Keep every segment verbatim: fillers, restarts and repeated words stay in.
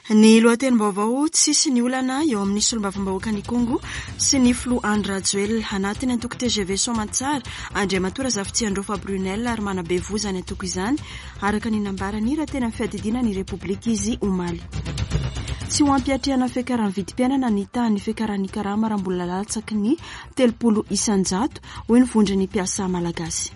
Ny lohatenim-baovao: tsisy ny olana eo amin'ny solombavambahoakan'Ikongo sy ny filoha Andry Rajoelina. Anatin'ny antoko T G V Soamantsara Andriamatoa Razafitsiandraofa Brunel ary manabe voa izany antoko izany, araka ny nambarany raha tena fiadidiana ny Repoblika izy omaly. Tsy ho ampiatrehana fiakaran'ny vidim-piainana ny tahan'ny fiakaran'ny karama raha mbola latsaky ny telopolo isanjato, hoy ny vondron'ny mpiasa malagasy.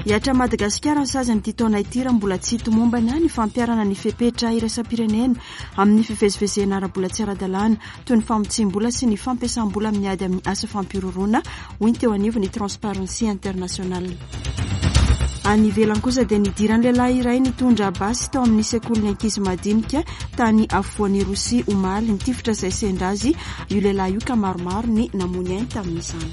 Hiatra Madagasikara ny sazy amin'ity taona ity raha mbola tsy tomombana ny fampiharana ny fepetra iraisam-pirenena amin'ny fivezivezena ara-bola tsy ara-dalàna, toy ny famotsiam-bola sy ny fampiasam-bola amin'ny ady amin'ny asa fampihorohoroana, hoy ny teo anivon'ny Transparency International. Any ivelany kosa dia nidiran'ny lehilahy iray nitondra basy tao amin'ny sekolin'ny ankizy madinika tany afovoan'i Rosia omaly. Nitifitra izay sendra azy io lehilahy io ka maromaro ny namoy ny ainy tamin'izany.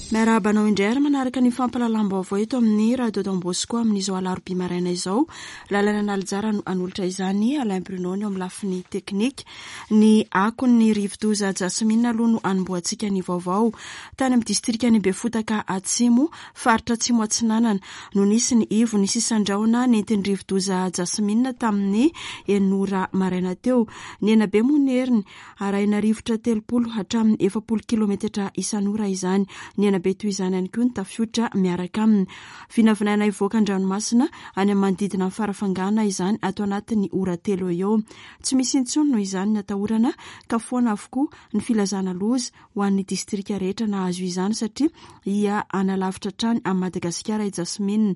Miarahaba anao indray ary manaraka ny fampahalalam-baovao eto amin'ny Radio Don Bosco amin'izao alarobia maraina izao. Lalana Nalijara no hanolotra izany, Alain Bruno ny eo amin'ny lafiny teknika. Ny akon'ny rivodoza Jasmine aloha no anombohantsika ny vaovao. Tany amin'ny distrikan'i Befotaka Atsimo, faritra Atsimo Atsinanana, no nisy ny ivo ny sisan-drahona nentin'ny rivodoza Jasmine tamin'ny enina ora maraina teo. Nihena be moa ny heriny, arahina rivotra telopolo hatramin'ny efapolo kilometatra isan'ora izany. Nihena be toy izany ihany koa ny tafiotra miaraka aminy. Vinavinaina hivoaka an-dranomasina any amin'ny manodidina ny Farafangana izany ato anatin'ny ora telo eo. Tsy misy intsony noho izany ny atahorana ka foana avokoa ny filazana loza ho an'ny distrika rehetra nahazo izany, satria ia analavitra hatrany amin'i Madagasikara i Jasmine.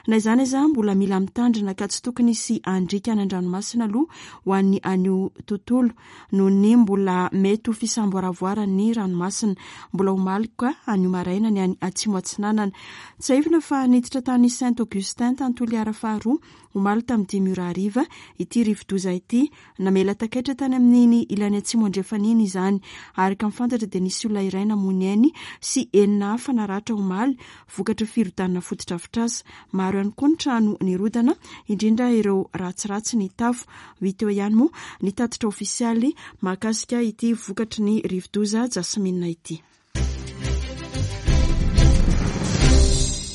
Na izany aza, mbola mila mitandrina ka tsy tokony hisy andrika any an-dranomasina aloha ho an'ny anio tontolo, noho ny mbola mety ho fisamboaravoaran'ny ranomasina. Mbola ho maloka anio maraina ny any Atsimo Atsinanana. Tsiahivina fa niditra tany Saint Augustin tany Toliara faharoa omaly tamin'ny dimy ora hariva ity rivodoza ity. Namela takaitra tany amin'iny ilany atsimo andrefana iny izany. Araka ny fantatra dia nisy olona iray namoy ny ainy sy enina hafa naratra omaly vokatry firodanana fotodrafitrasa. Maro ihany koa ny trano nirodana, indrindra ireo ratsiratsy ny tafo. Hita eo ihany moa ny tatitra ofisialy mahakasika ity vokatry ny rivodoza Jasmine ity.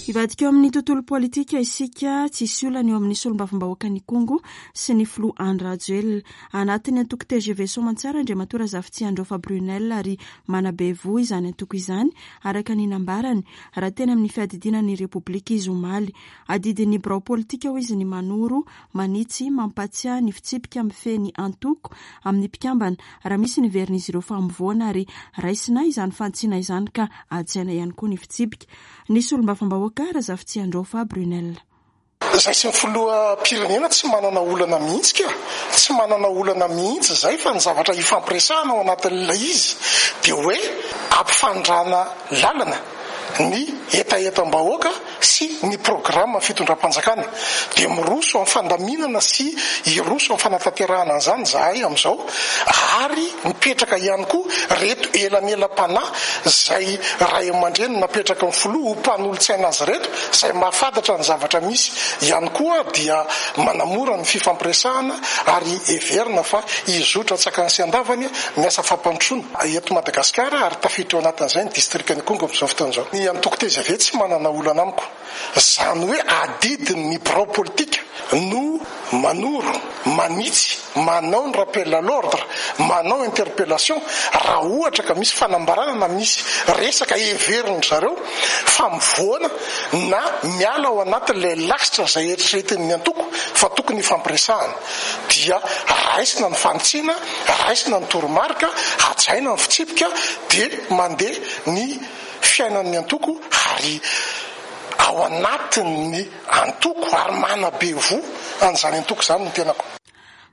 Hivadika eo amin'ny tontolo politika isika. Tsisy olana eo amin'ny solombavambahoakan'Ikongo sy ny filoha Andry Rajoelina. Anatin'ny antoko T G V Soamantsara Andriamatoa Razafitsiandraofa Brunel ary manabe voa izany antoko izany, araka ny nambarany raha tena amin'ny fiadidiana ny Repoblika izy omaly. Adidin'ny birao politika, hoy izy, ny manoro, manitsy, mampatsiahy ny fitsipika mifehy ny antoko amin'ny mpikambana raha misy ny heverin'izy ireo fa mivoana, ary raisina izany fanitsiana izany ka hajaina ihany koa ny fitsipika. Ny solombavambahoaka Razafitsiandraofa Brunel. Zay sy ny filoham-pirenena tsy manana olana mihitsy ka, tsy manana olana mihitsy zay, fa ny zavatra ifampiresahana ao anatin'ilay izy de hoe ampifandrana lalana ny hetahetam-bahoaka sy ny programme fitondram-panjakana, de miroso amin'ny fandaminana sy iroso amin'ny fanatanterahana an'izany zahay am'izao, ary mipetraka ihany koa reto elanelam-panahy zay ray aman-dreny napetraka ny filoha ho mpanolotsaina azy reto, zay mahafantatra ny zavatra misy ihany koa, dia manamora ny fifampiresahana, ary heverina fa izotra tsakany sy andavany miasa fampandrosoana eto Madagasikara, ary tafiditra ao anatin'izay ny distrika Ikongo amin'izao fotoana izao. Ny antoko T G V tsy manana olana amiko zany hoe adidiny ny birao politika no manoro, manitsy, manao ny rappel à l'ordre, manao interpellation raha ohatra ka misy fanambarana na misy resaka heveriny zareo fa mivoana na miala ao anatin'ilay lasitra zay eritreretin'ny antoko fa tokony ifampiresahana, dia raisina ny fanitsiana, raisina ny toromarika, hajaina ny fitsipika, de mandeha ny fiainan'ny antoko, ary ao anatin'ny antoko ary manabe voa an'izany antoko zany ny tenako.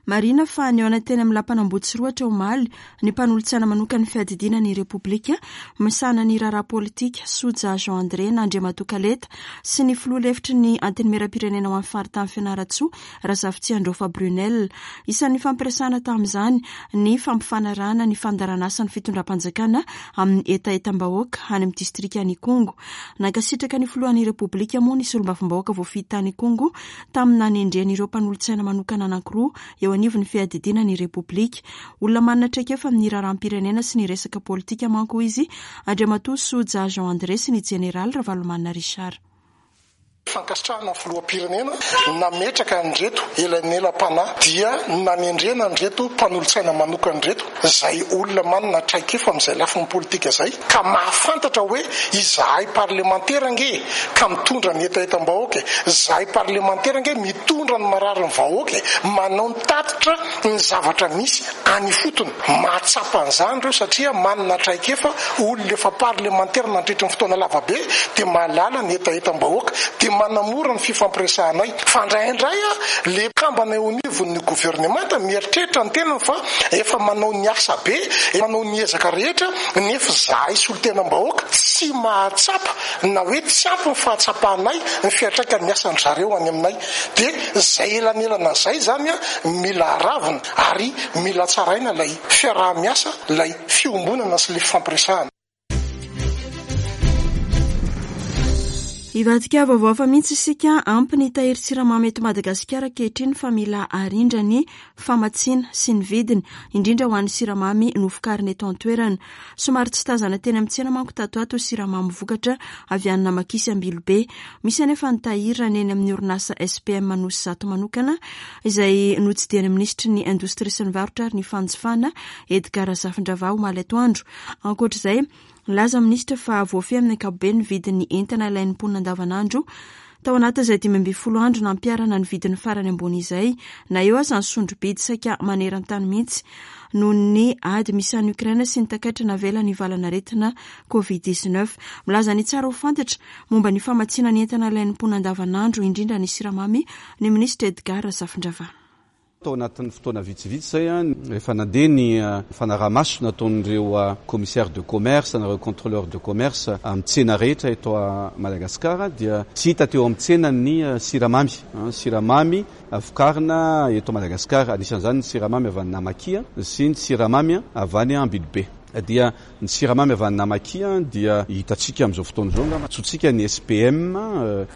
Marina fa nihaona teny amin'ny lapan'Ambohitsorohitra omaly ny mpanolotsaina manokana ny fiadidiana ny Repoblika misahana ny raharaha politika, Soja Jean André na Andriamatoa Kaleta, sy ny filoha lefitry ny Antenimieram-pirenena ho an'ny faritany Fianarantsoa, Razafitsiandraofa Brunel. Isan'ny fampiresahana tamin'izany ny fampifanarahana ny fandaharan'asan'ny fitondram-panjakana amin'ny hetahetam-bahoaka any amin'ny distrikan'Ikongo. Nankasitraka ny filohan'ny Repoblika moa ny solombavambahoaka voafidy tany Ikongo tamin'ny nanendreny ireo mpanolotsaina manokana anankiroa eo anivon'ny fiadidiana ny Repoblika. Olona manana traikefa amin'ny raharaham-pirenena sy ny resaka politika manko izy, Andriamatoa Soja Jean André sy ny jeneraly Ravalomanana Richard. Fankasitrahana ny filoham-pirenena nametraka an'ireto elanelam-panahy dia nanendrena an'ireto mpanolotsaina manokana ireto, izay olona manana traikefa amin'izay lafiny politika izay, ka mahafantatra hoe izahay parlemantera ange ka mitondra ny hetahetam-bahoaka, izahay parlemantera ange mitondra ny marary ny vahoaka, manao ny tatitra ny zavatra misy any ifotony. Mahatsapa an'izany ireo satria manana traikefa, olona efa parlemantera nandritra ny fotoana lavabe dia mahalala ny hetahetam-bahoaka, dia manamora ny fifampiresahanay. Fa indraindray le kambana eo anivon'ny governemanta mieritreritra ny tenany fa efa manao ny asa be, manao ny ezaka rehetra, nefa izahay solontenam-bahoaka tsy mahatsapa na hoe tsy ampy ny fahatsapanay ny fiantraikan'ny asan-dry zareo any aminay. Dia izay elanelana izay zany mila aravina ary mila tsaraina ilay fiaraha-miasa, ilay fiombonana sy ilay fifampiresahana. Hivadika vaovao hafa mihitsy isika. Ampy ny tahiry siramamy eto Madagasikara ankehitriny fa mila arindra ny famatsiana sy ny vidiny, indrindra ho an'ny siramamy novokarina eto an-toerana. Somary tsy tazana teny amin'ny tsena manko tato ato siramamy vokatra avy any Namakisy Ambilobe. Misy anefa ny tahiry raha ny eny amin'ny orinasa S P M Anosizato manokana, izay notsidihan'ny minisitry ny indostria sy ny varotra ary ny fanjifana Edgar Razafindravahy omaly atoandro. Ankoatr'izay, nilaza minisitra fa voafehy amin'ny ankapobeny ny vidin'ny entana ilain'ny mponina andavanandro tao anatin'izay dimy ambin'ny folo andro nampiharana ny vidin'ny farany ambony izay, na eo aza ny sondro-bidy saika maneran-tany mihitsy noho ny ady misy any Ukraine sy ny takaitra navela ny valanaretina Covid dix-neuf. Milaza ny tsara ho fantatra momba ny famatsiana ny entana ilain'ny mponina andavanandro, indrindra ny siramamy, ny minisitra Edgar Razafindravahy. Tao anatin'ny fotoana vitsivitsy izay, rehefa nandeha ny fanarahamaso nataon'ireo commissaire de commerce na ireo contrôleur de commerce amin'ny tsena rehetra eto Madagasikara, dia tsy hita teo amin'ny tsena ny siramamy. Siramamy vokarina eto Madagasikara, anisan'izany ny siramamy avy any Namakia sy ny siramamy avy any Ambilobe. Dia ny siramamy avy any Namakia dia hitantsika amin'izao fotoana izao angamba antsointsika ny S P M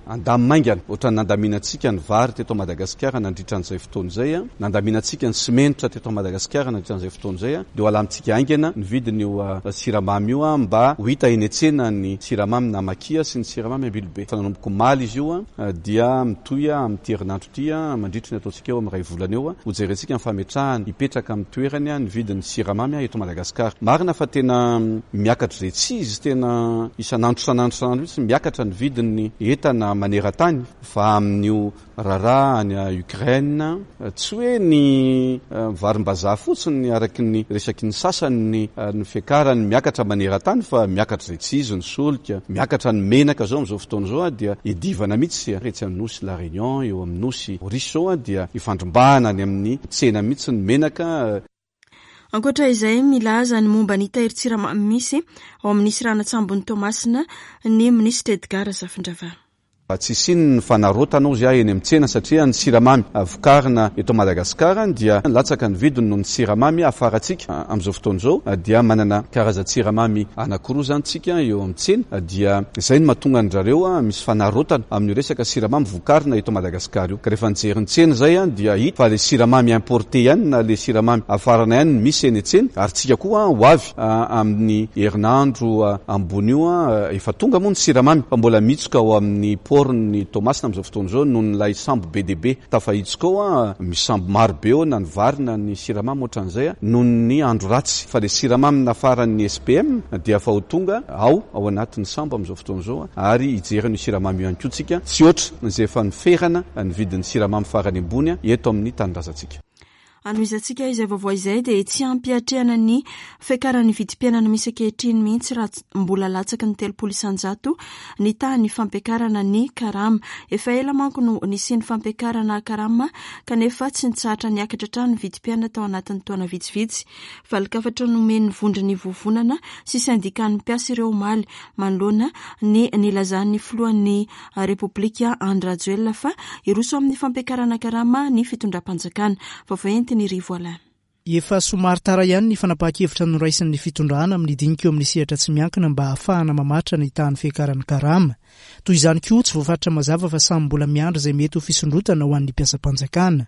andamimaingana, ohatran'ny nandaminantsika ny vary teto Madagasikara nandritra an'izay fotoana izay, nandaminantsika ny simenitra teto Madagasikara nandritra an'izay fotoana izay, dia ho alamintsika haingana ny vidin'io siramamy io mba ho hita eny an-tsena ny siramamy Namakia sy ny siramamy Ambilobe. Fa nanomboka omaly izy io dia mitohy amin'ity herinandro ity, mandritra ny ataontsika eo amin'ny iray volana eo, ho jerentsika ny fametrahana hipetraka amin'ny toerany ny vidin'ny siramamy eto Madagasikara. Marina fa tena miakatra izay tsy izy, tena isan'andro isan'andro isan'andro mihitsy miakatra ny vidin'ny entana maneran-tany, fa amin'io raharaha any Ukraine tsy hoe ny varim-bazaha fotsiny araky ny resaky ny sasany ny, ny fiakarany miakatra maneran-tany, fa miakatra izay tsy izy ny solika, miakatra ny menaka zao amin'izao fotoana izao dia idivana mihitsy etsy amin'ny nosy La Réunion, eo amin'ny nosy Maurice zao dia ifandrombahana any amin'ny tsena mihitsy ny menaka. Ankoatra izay, milaza ny momba ny tahirin-tsiramamy misy ao amin'ny seranan-tsambon'i Toamasina ny minisitra Edgar Razafindravahy. Tsy hisian'ny ny fanarotana ozy aho eny amin'ny tsena, satria ny siramamy vokarina eto Madagasikara dia latsaka ny vidiny noho ny siramamy afarantsika amin'izao fotoana izao. Dia manana karazan-tsiramamy anankiroa izany tsika eo amin'ny tsena, dia izay no mahatonga an-dry zareo misy fanarotana amin'io resaka siramamy vokarina eto Madagasikara io. Ka rehefa nijery ny tsena izay dia hita fa le siramamy importé ihany na le siramamy afarana ihany no misy eny an-tsena, ary tsika koa ho avy amin'ny herinandro ambony io efa tonga moa ny siramamy fa mbola mitsoka ao amin'ny port ny Toamasina amin'izao fotoana izao noho ny lay sambo be dia be tafahitsoka ao, misy sambo maro be ao na ny vary na ny siramamy ohatran'izay noho ny andro ratsy, fa le siramamy nafaran'ny S P M dia efa ho tonga ao, ao anatin'ny sambo amin'izao fotoana izao, ary hijery ny siramamy io ihany koa tsika, tsy ohatry izay efa niferana ny vidin'ny siramamy farany ambony eto amin'ny tanindrazantsika. Anohizantsika izay vaovao izay dia tsy ampiatrehana ny fiakaran'ny vidim-piainana misy ankehitriny mihitsy raha mbola latsaky ny telopolo isanjato ny tahan'ny fampiakarana ny karama. Efa ela manko no nisian'ny fampiakarana karama kanefa tsy nitsahatra niakatra hatrany ny vidim-piainana tao anatin'ny taona vitsivitsy. Valin-kafatra nomen'ny vondron'ny vovonana sy sendikan'ny mpiasa ireo omaly manoloana ny nilazan'ny filohan'ny Repoblika Andry Rajoelina fa hiroso amin'ny fampiakarana karama ny fitondram-panjakana. Vaovao entin'ny Rivo Alain. Efa somary tara ihany ny fanapahan-kevitra noraisin'ny fitondrana amin'ny dinika eo amin'ny sehatra tsy miankina mba hahafahana mamaritra ny tahan'ny fiakaran'ny karama. Toy izany koa, tsy voafaritra mazava fa samy mbola miandry izay mety ho fisondrotana ho an'ny mpiasam-panjakana.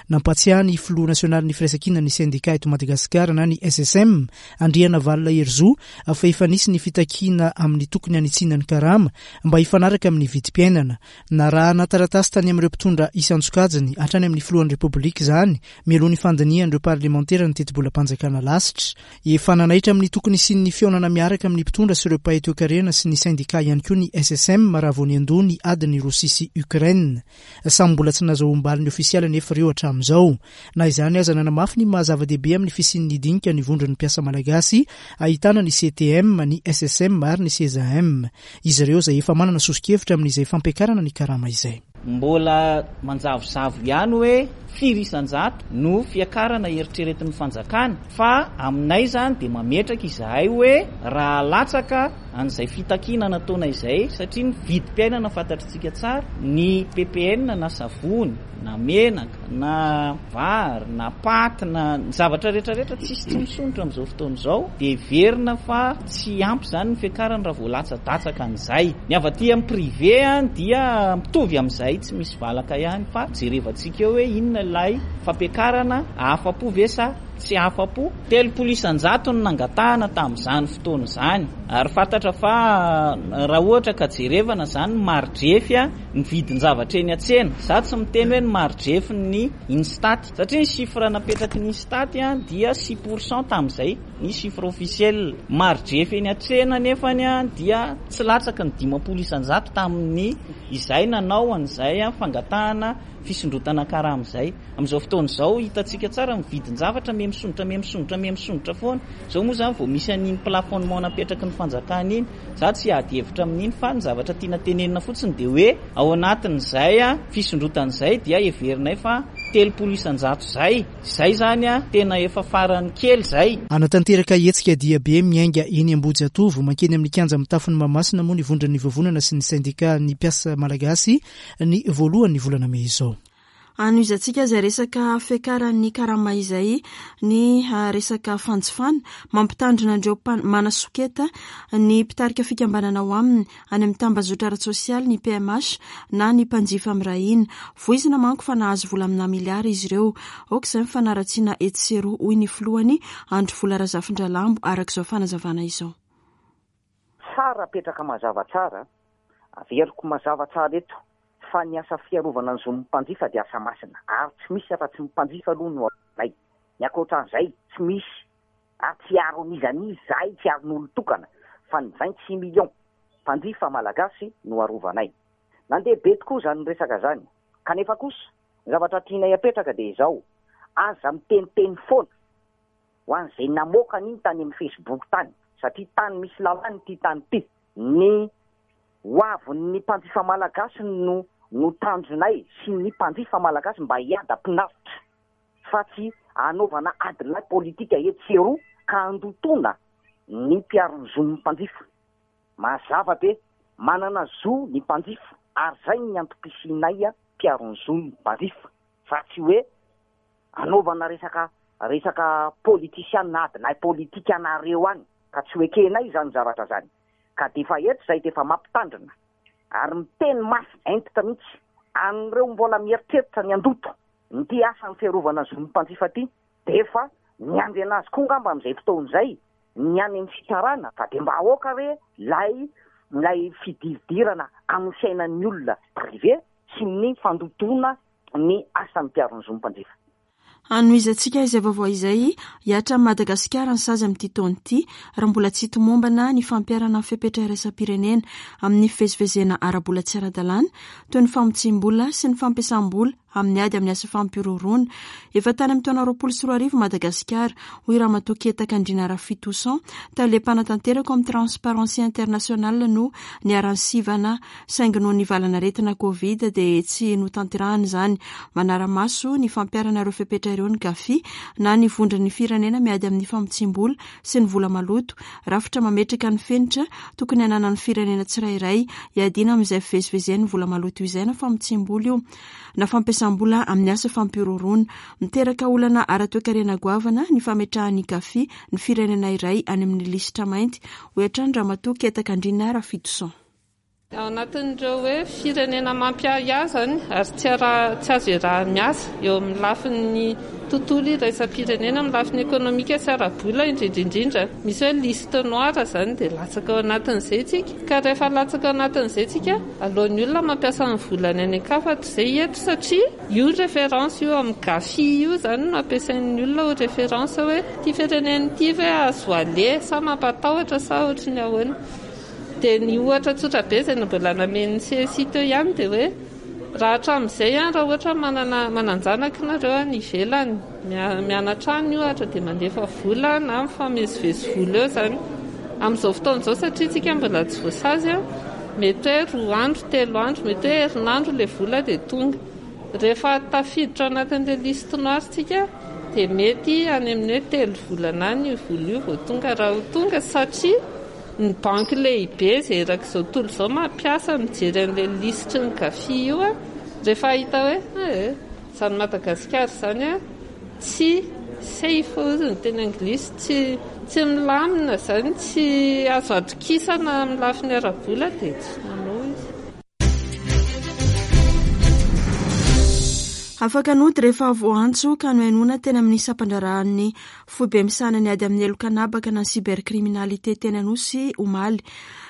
Nampatsiahy ny filoha nasionalin'ny firaisankinan'ny sendika eto Madagasikara na ny S S M, Andrianavalona Herizo, fa efa nisy ny fitakiana amin'ny tokony hanitsiana ny karama mba hifanaraka amin'ny vidim-piainana. Narahana taratasy tany amin'ireo mpitondra isan-tsokajiny hatrany amin'ny filohan'ny Repoblika izany mialoha ny fandinihan'ireo parlemantera ny tetibolam-panjakana lasitra. Efa nanaitra amin'ny tokony hisian'ny fihaonana miaraka amin'ny mpitondra sy ireo mpahay toekarena sy ny sendika ihany koa ny S S M raha vao niandoha ny adin'ny Rosia sy Ukraine. Samy mbola tsy nahazoam-baliny ofisialy anefa ireo hatramin'izao. Na izany aza, nanamafy ny maha-zava-dehibe amin'ny fisian'ny dinika ny vondron'ny mpiasa malagasy ahitana ny C T M, ny S S M ary ny C E S A M. Izy ireo izay efa manana soso-kevitra amin'izay fampiakarana ny karama izay. Mbola manjavozavo ihany hoe firy isanjato no fiakarana eritreretin'ny fanjakana, fa aminay zany dia mametraka izahay hoe raha latsaka an'izay fitakiana nataona izay, satria ny vidim-piainana fantatritsika tsara, ny P P N na savony na menaka na vary na paty na ny zavatra rehetrarehetra tsisy tsy misondrotra amin'izao fotoana izao, dia heverina fa tsy ampy zany ny fiakarana raha vao latsa-datsaka an'izay. Ny avy aty amin'ny privé a dia mitovy amin'izay, tsy misy valaka ihany, fa jerevantsika eo hoe inona ilay fampiakarana, ahafa-po ve sa tsy afa-po. Telopolo isanjato no nangatahana tamin'izany fotoana izany, ary fantatra fa raha ohatra ka jerevana zany ny maridrefy a ny vidin-javatra eny an-tsena, za tsy miteny hoe ny maridrefy ny INSTAT, satria ny chiffre napetraky ny INSTAT a dia six pourcent tamin'izay ny chiffre officiel. Maridrefy eny an-tsena nefany a dia tsy latsaky ny dimampolo isanjato tamin'ny izay nanao an'izay a fangatahana fisondrotana karama izay. Amin'izao fotoana izao, hitantsika tsara, mividin-javatra me misondrotra, me misondrotra, me misondrotra foana. Zao moa zany vao misy an'iny plafonnement napetraky ny fanjakana iny. Za tsy ady hevitra amin'iny, fa ny zavatra tiana tenenina fotsiny dia hoe ao anatin'izay a fisondrotan'izay dia heverinay fa telopolo isanjato zay zay zany a tena efa farany kely zay. Anatanteraka hetsika dia be miainga eny Ambohijatovo mankeny amin'ny kianja mitafon'ny Mahamasina moa ny vondron'ny vovonana sy ny sendika ny mpiasa malagasy ny voalohany volana mey izao. Anohizantsika izay resaka fiakaran'ny karama izay ny resaka fanjifana. Mampitandrina andreo manasoketa ny mpitarika fikambanana ao aminy any amin'ny tambazotra ara-tsosialy ny P M H na ny mpanjifa mirahina. Voizina manko fa nahazo vola amina miliara izy ireo. Aoka izay mifanaratsiana etsy sy eroa, hoy ny filohany, Andro Vola Razafindralambo, araka izao fanazavana izao. Tsara apetraka mazava tsara, averiko mazava tsara eto fa ny asa fiarovana ny zon'ny mpanjifa dia asa masina, ary tsy misy afa-tsy ny mpanjifa aloha no anay. Ny ankoatran'izay tsy misy, ary tsy aro an'izanizy zahay, tsy aron'olo tokana, fa ny vingt six millions mpanjifa malagasy no arovanay. Nandeha be tokoa zany resaka zany, kanefa kosa ny zavatra tianay apetraka dia izao: aza miteniteny foana ho an'izay namoaka an'iny tany amin'ny Facebook tany, satria tany misy lalàny ty tany ty. Ny ho avin'ny mpanjifa malagasy no no tanjonay sy ny mpanjifa malagasy mba hiadam-pinaritra, fa tsy anaovana adilahy politika etsy eroa ka andotona ny mpiaro ny zon'ny mpanjifa. Mazava be, manana zo ny mpanjifa, ary zay ny antom-pisinay a mpiaro ny zon'ny mpanjifa, fa tsy hoe anaovana resaka resaka politisiana, adilahy politika anareo any, ka tsy ho ekenay zany zavatra zany. Ka de efa eto zay de efa mampitandrina ary miteny mafy entitra mihitsy an'ireo mbola mieritreritra ny andoto ny ty asa ny fiarovana ny zon'ny mpanjifa ty, de efa miandry anazy koa ngamba am'izay fotoan'izay ny any amin'ny fitsarana. Fa de mba aoka re lay lay fidiridirana amin'ny fiainan'ny olona privé sy ny fandotona ny asan'ny mpiaro ny zon'ny mpanjifa. Anohizantsika izay vaovao izay. Hihatra Madagasikara ny sazy amin'ity taona ity raha mbola tsy tomombana ny fampiharana ny fepetra iraisam-pirenena amin'ny fivezivezena ara-bola tsy ara-dalàna, toy ny famotsim-bola sy ny fampiasam-bola amin'ny ady amin'ny asa fampihorohoroana. Efa tany amin'ny taona roapolo sy roa arivo Madagasikara, hoy Ramatoa Ketaka Andriana Rafitoson, tale mpanatanteraka amin'ny Transparency International, no niharan'ny sivana, saingy noho ny valanaretina Covid dia tsy notanterahana izany. Manara-maso ny fampiharana ireo fepetra ireo ny GAFI na ny vondron'ny firenena miady amin'ny famotsim-bola sy ny vola maloto, rafitra mametraka ny fenitra tokony hananan'ny firenena tsirairay hiadiana amin'izay fivezivezen'ny vola maloto izay, na famotsim-bola io na fampiasam fampiasam-bola amin'ny asa fampihorohoroana. Miteraka olana ara-toekarena goavana ny fametrahan'ny GAFI ny firenena iray any amin'ny lisitra mainty, hoy hatrany Ramatoa Ketakandriana Rafitoson. Ao anatin'ireo hoe firenena mampiahiahy izany ary tsy ara- tsy azo iaraha-miasa eo amin'ny lafiny tontolo iraisam-pirenena, amin'ny lafiny ekonomika sy ara-bola indrindra indrindra. Misy hoe liste noire izany dia latsaka ao anatin'izay isika. Ka rehefa latsaka ao anatin'izay isika, aleon'ny olona mampiasa ny volany any an-kafa toy izay eto, satria io référence io amin'ny GAFI io izany no ampiasain'ny olona ho référence hoe ity firenena ity ve azo aleha sa mampatahotra sa ohatry ny ahoana. Dia ny ohatra tsotra be izay mbola namen'ny C S I teo ihany dia hoe raha hatramin'izay an, raha ohatra manana manan-janaka nareo any ivelany, mia-, mianatra any ohatra dia mandefa vola na mifamezivezy vola eo izany. Amin'izao fotoana izao satria tsika mbola tsy voasazy an, mety hoe roa andro, telo andro, mety hoe herinandro ilay vola dia tonga. Rehefa tafiditra ao anatin'ilay liste noire tsika dia mety any amin'ny hoe telo volana any io vola io vao tonga, raha ho tonga, satria ny banky lehibe izay erak'izao tontolo izao mampiasa mijery an'ilay lisitry ny GAFI io a, rehefa hita hoe, eh, izany Madagasikara izany a, tsy safe hozy ny teny anglisy, tsy, tsy milamina izany, tsy azo atokisana amin'ny lafiny ara-bola dia tsy manao izy. Afaka nody rehefa voantso ka nohenoina teny amin'ny sampan-draharahan'ny foibe misahana ny ady amin'ny heloka an'habaka na ny cybercriminalité teny Anosy omaly.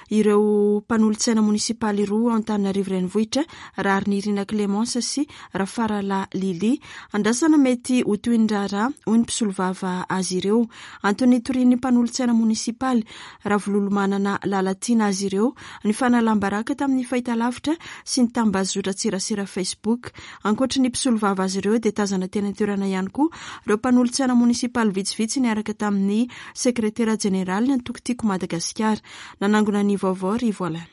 Ireo mpanolotsaina monisipaly roa ao Antananarivo Renivohitra, Raharinirina Clémence sy Rafaralahy Lily. Andrasana mety ho toy ny raharaha, hoy ny mpisolovava azy ireo. Antony nitorian'ny mpanolotsaina monisipaly Ravololomanana Lalatiana azy ireo ny fanalam-baraka tamin'ny fahitalavitra sy ny tambazotran-tserasera Facebook. Ankoatry ny mpisolovava azy ireo dia tazana teny an-toerana ihany koa ireo mpanolotsaina monisipaly vitsivitsy niaraka tamin'ny sekretera jeneraly ny antoko Tiako Madagasikara. Nanangona ny vaovao ry Voalana.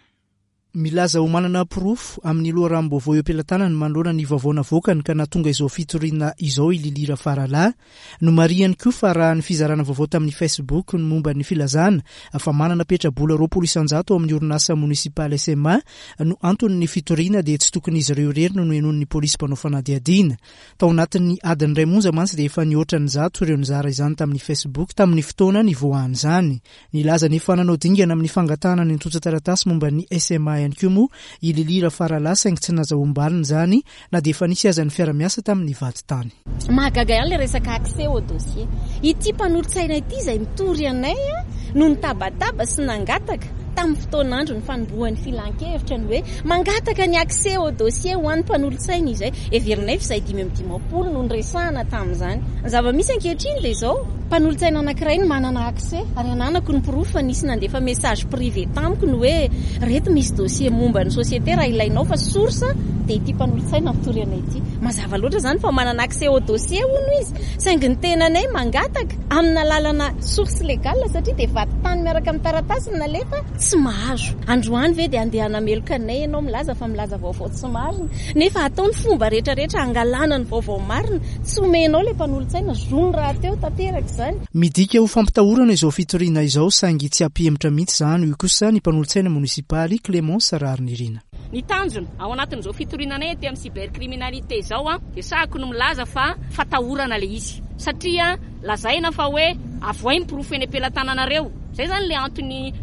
Milaza ho manana porofo amin'ny loharanom-baovao eo am-pelatanany manoloana ny vaovao navoakany ka nahatonga izao fitoriana izao i Lily Rafaralahy. Nomarihany koa fa raha ny fizarana vaovao tamin'ny Facebook ny momba ny filazana fa manana petra-bola roapolo isan-jato ao amin'ny orinasa monisipaly S M A no anton'ny fitoriana dia tsy tokony izy ireo irery no nohenoin'ny polisy mpanao fanadihadiana. Tao anatin'ny adiny iray monja mantsy dia efa nihoatra ny zato ireo nizara izany tamin'ny Facebook tamin'ny fotoana nivoahan'izany. Nilaza ny efa nanao dingana amin'ny fangatahana ny antontan-taratasy momba ny S M A ihany koa moa i Lily Rafaralahy saingy tsy nazahoam-baliny izany na dia efa nisy aza ny fiara-miasa tamin'ny vadintany. Mahagaga ihany ilay resaka accès au dossier. Ity mpanolotsaina ity izay mitory anay a, no nitabataba sy nangataka tamin'ny fotoan'andro ny fanombohan'ny filan-kevitra ny hoe mangataka ny accès au dossier ho an'ny mpanolotsaina izay. Heverinay fa izay dimy amby dimampolo no niresahana tamin'izany. Ny zava-misy ankehitriny dia izao, mpanolotsaina anankiray no manana accès ary ananako ny porofo fa nisy nandefa message privé tamiko ny hoe reto misy dossier momba ny société raha ilainao fa source dia ity mpanolotsaina mitory anay ity. Mazava loatra izany fa manana accès au dossier hono izy, saingy ny tenanay mangataka amina lalana source légale satria dia vadintany miaraka amin'ny taratasy no nalefa tsy mahazo. Androany ve dia andeha hanameloka anay ianao milaza fa milaza vaovao tsy marina, nefa atao ny fomba rehetrarehetra hangalana ny vaovao marina, tsy omenao ilay mpanolotsaina zony rahateo tanteraka izany. Midika ho fampitahorana izao fitoriana izao saingy tsy hampihemotra mihitsy izany, hoy kosa ny mpanolotsaina monisipaly Clémence Raharinirina. Ny tanjona ao anatin'izao fitoriana anay aty amin'ny cybercriminalité izao a, dia sahako no milaza fa fatahorana ilay izy, satria lazaina fa hoe avoay ny porofo eny am-pelatananareo. Izay izany ilay antony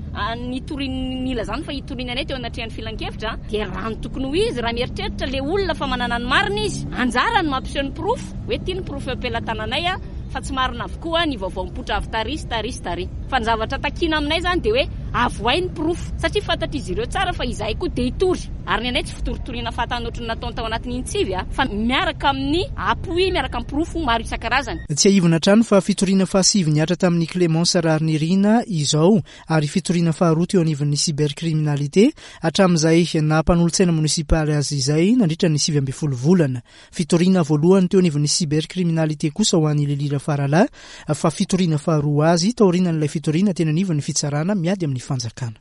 nitorian'ny nilazany fa hitoriana anay teo anatrehan'ny filan-kevitra, dia raha ny tokony ho izy, raha mieritreritra ilay olona fa manana ny marina izy, anjara no mampiseho ny porofo, hoe ity ny porofo eo am-pelatananay a, fa tsy marina avokoa ny vaovao mipoitra avy tary sy tary sy tary. Fa ny zavatra takiana aminay izany dia hoe avoay ny porofo, satria fantatr'izy ireo tsara fa izahay koa dia hitory. Ary ny anay tsy fitoritoriana fahatany ohatry ny nataony tao anatin'iny tsivy a, fa miaraka amin'ny appui, miaraka amin'ny porofo maro isan-karazany. Tsiahivina hatrany fa fitoriana fahasivy nihatra tamin'ny Clémence Raharinirina izao ary fitoriana faharoa teo anivon'ny cybercriminalité hatramin'izay naha mpanolotsaina monisipaly azy izay nandritra ny sivy ambin'ny folo volana. Fitoriana voalohany teo anivon'ny cybercriminalité kosa ho an'i Lily Rafaralahy fa fitoriana faharoa azy taorian'ilay fitoriana teny anivon'ny fitsarana miady amin'ny fanjakana.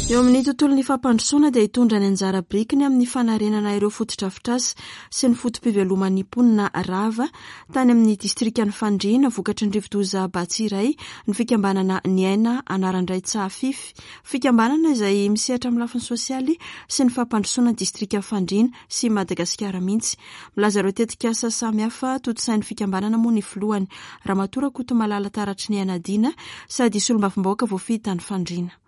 Eo amin'ny tontolon'ny fampandrosoana dia hitondra ny anjara birikiny amin'ny fanarenana ireo fotodrafitrasa sy ny foto-piveloman'ny mponina rava tany amin'ny distrikan'i Fandriana vokatry ny rivodoza Batsirai ny fikambanana Ny Aina Anarandray Tsahafify. Fikambanana izay misehatra amin'ny lafiny sosialy sy ny fampandrosoana ny distrikan'i Fandriana sy Madagasikara mihitsy. Milaza ireo tetikasa samihafa tontosain'ny fikambanana moa ny filohany Ramatoa Rakotomalala Taratry ny Aina Dina sady solombavambahoaka voafidy tany Fandriana.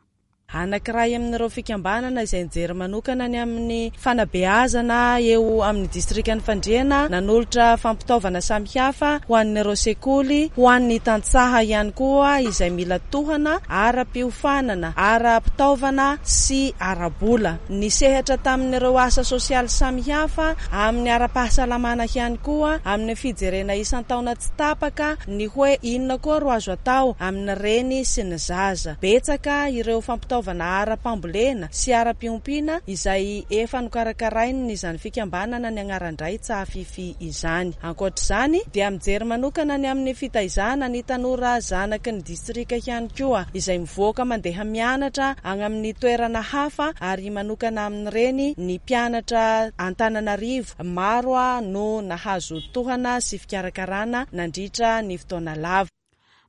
Anankiray amin'ireo fikambanana izay nijery manokana ny amin'ny fanabeazana eo amin'ny distrikan'i Fandriana, nanolotra fampitaovana samihafa ho an'ireo sekoly, ho an'ny tantsaha ihany koa izay mila tohana ara-piofanana, ara-pitaovana sy ara-bola. Nisehatra tamin'ireo asa sosialy samihafa amin'ny ara-pahasalamana ihany koa, amin'ny fijerena isan-taona tsy tapaka ny hoe inona koa ro azo atao amin'ny reny sy ny zaza. Betsaka ireo fampitaovana ara-pambolena sy ara-piompiana izay efa nokarakarain'ny izany fikambanana ny Agnaran-dray Tsahafify izany. Ankoatr'izany dia mijery manokana ny amin'ny fitaizana ny tanora zanaky ny distrika ihany koa izay mivoaka mandeha mianatra any amin'ny toerana hafa ary manokana amin'ireny ny mpianatra Antananarivo maro no nahazo tohana sy fikarakarana nandritra ny fotoana lava.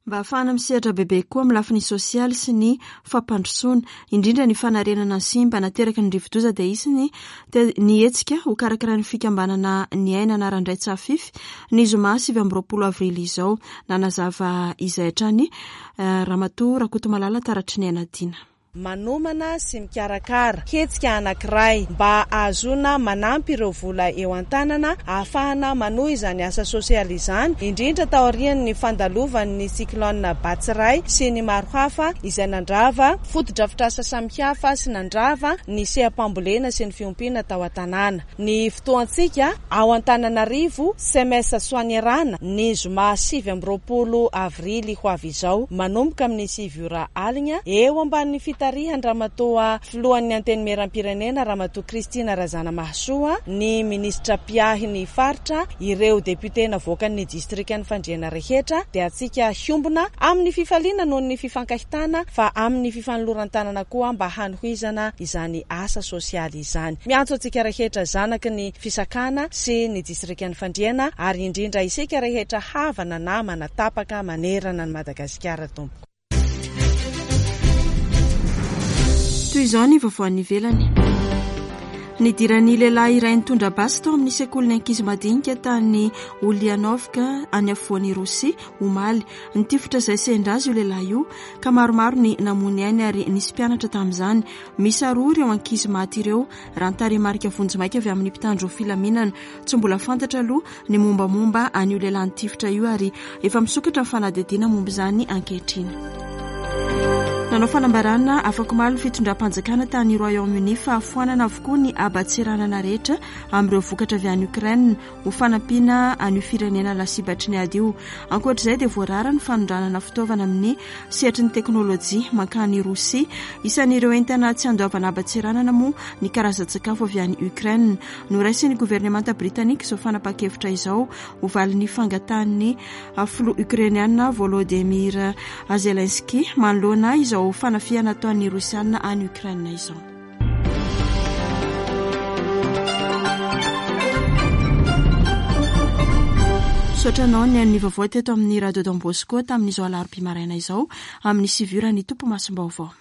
Mba hahafahana misehatra bebe koa amin'ny lafiny sosialy sy ny fampandrosoana, indrindra ny fanarenana ny simba nateraky ny rivodoza dia hisy ny ny hetsika ho karakarain'ny fikambanana Ny Aina Anarandray Tsahafify ny zoma sivy amby roapolo avrily izao. Nanazava izay hatrany Ramatoa Rakotomalala Taratry ny Aina Dina. Manomana sy mikarakara hetsika anankiray mba ahazoana manampy ireo vola eo an-tanana ahafahana manohy izany asa sosialy izany, indrindra taorian'ny fandalovan'ny cyclone Batsirai sy ny maro hafa izay nandrava fotodrafitrasa samihafa sy nandrava ny seha-pambolena sy ny fiompiana tao an-tanàna. Ny fotoantsika ao Antananarivo C M S Soanierana ny zoma sivy amby roapolo avrily ho avy izao manomboka amin'ny sivy ora alina eo ambanin'ny fitarihan-dRamatoa filohan'ny Antenimierampirenena Ramatoa Christine Razanamahasoa, ny minisitra mpiahy ny faritra, ireo député navoakan'ny distrikan'ny Fandriana rehetra dia antsika hiombona amin'ny fifaliana noho ny fifankahitana fa amin'ny fifanoloran-tanana koa mba hanohizana izany asa sosialy izany. Miantso antsika rehetra zanaky ny fisakana sy ny distrikan'ny Fandriana ary indrindra isika rehetra havana namana tapaka manerana ny Madagasikara tompoko. Toy izao ny vaovao any ivelany. Nidiran'ny lehilahy iray nitondra basy tao amin'ny sekolin'ny ankizy madinika tany Ulyanovka any afovoan'i Rosia omaly. Nitifitra izay sendra azy io lehilahy io ka maromaro ny namoy ainy ary nisy mpianatra tamin'izany. Miisa roa ireo ankizy maty ireo raha ny tarehimarika vonjimaika avy amin'ny mpitandro filaminana. Tsy mbola fantatra aloha ny mombamomba an'io lehilahy nitifitra io ary efa misokatra ny fanadihadiana momba izany ankehitriny. Nanao fanambarana afakomaly ny fitondram-panjakana tany Royaume-Uni fa foanana avokoa ny haban-tseranana rehetra amin'ireo vokatra avy any Ukraine ho fanampiana an'io firenena lasibatry ny ady io. Ankoatr'izay dia voarara ny fanondranana fitaovana amin'ny sehatry ny teknôlôjia mankany Rosia. Isan'ireo entana tsy andoavana haban-tseranana moa ny karazan-tsakafo avy any Ukraine. Noraisin'ny governemanta britanika izao fanapahan-kevitra izao ho valin'ny fangatahan'ny filoha ukrainiana Volodymyr Zelensky manoloana izao fanafihana ataon'ny Rosiana any Ukraine izao. Misaotra anao ny an'ny vaovao teto amin'ny Radio Don Bosco tamin'izao alarobia maraina izao amin'ny sivy ora ny tompo masom-baovao.